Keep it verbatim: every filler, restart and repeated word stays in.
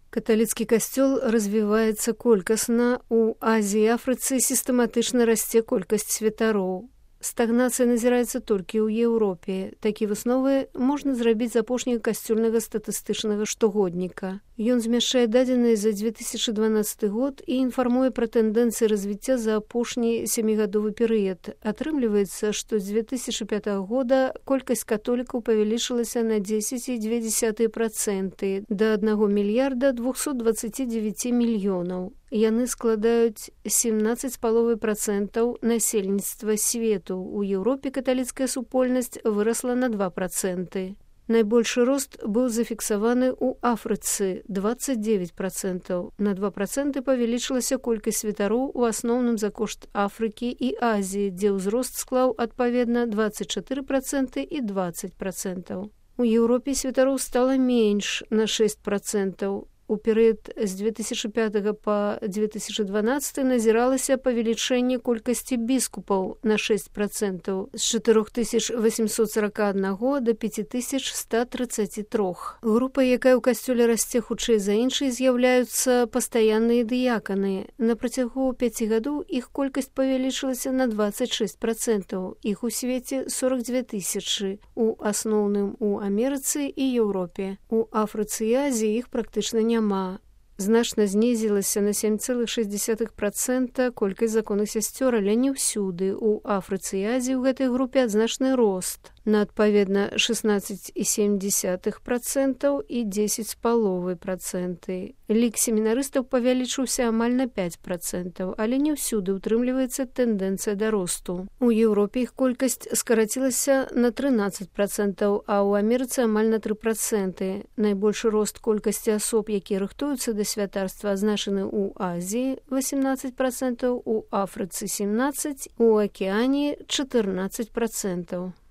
Каталіцкі касцёл развіваецца колькасна, у Азіі і Афрыцы сістэматычна расце колькасць святароў. Стагнацыя назіраецца толькі ў Еўропе. Такі высновы можна зрабіць з апошняга касцёльнага статыстычнага штогодніка. Ён змяшчае дадзеныя за дзве тысячы дванаццаты год і інфармуе пра тэндэнцыі развіцця за апошні сямігадовы перыяд. Атрымліваецца, што з дзве тысячы пятага года колькасць католікаў павялічылася на дзесяць і дзве дзесятыя працэнты да аднаго мільярда двухсот дваццаці дзевяці мільёнаў. Яны складаюць сямнаццаць з паловай працэнтаў насельніцтва свету. У Еўропе каталіцкая супольнасць вырасла на два працэнты. Найбольшы рост быў зафіксаваны ў Афрыцы – дваццаць дзевяць працэнтаў. На два працэнты павялічылася колькасць святароў у асноўным за кошт Афрыкі і Азіі, дзе ўзрост склаў адпаведна дваццаць чатыры працэнты і дваццаць працэнтаў. У Еўропе святароў стала менш на шэсць працэнтаў. У перыяд з дзве тысячы пятага па дзве тысячы дванаццаты назіралася павелічэнне колькасці біскупаў на шэсць працэнтаў з чатырох тысяч васьмісот сорока аднаго да пяці тысяч ста трыццаці трох. Група, якая ў касцёле расце хутчэй за іншай, з'яўляюцца пастаянныя дыяканы. На працягу пяці гадоў іх колькасць павялічылася на дваццаць шэсць працэнтаў. Іх у свеце сорок дзве тысячы, у асноўным у Амерыцы і Еўропе. У Афрыцы і Азіі іх практычна няма. Няма. Значна знізілася на сем цэлых шэсць дзесятых працэнта колькасць законных сясцёр, але не ўсюды. У Афрыцы і Азіі ў гэтай групе адзначны рост на адпаведна шэснаццаць і сем дзесятых працэнтаў і дзесяць з паловай працэнты. Лік семінарыстаў павялічыўся амаль на пяць працэнтаў, але не ўсюды ўтрымліваецца тэндэнцыя да росту. У Еўропе іх колькасць скарацілася на трынаццаць працэнтаў, а ў Амерыцы амаль на тры працэнты. Найбольшы рост колькасці асоб, якія рыхтуюцца да святарства, азначаны ў Азіі – васемнаццаць працэнтаў, у Афрыцы – сямнаццаць, у Акіяніі – чатырнаццаць працэнтаў.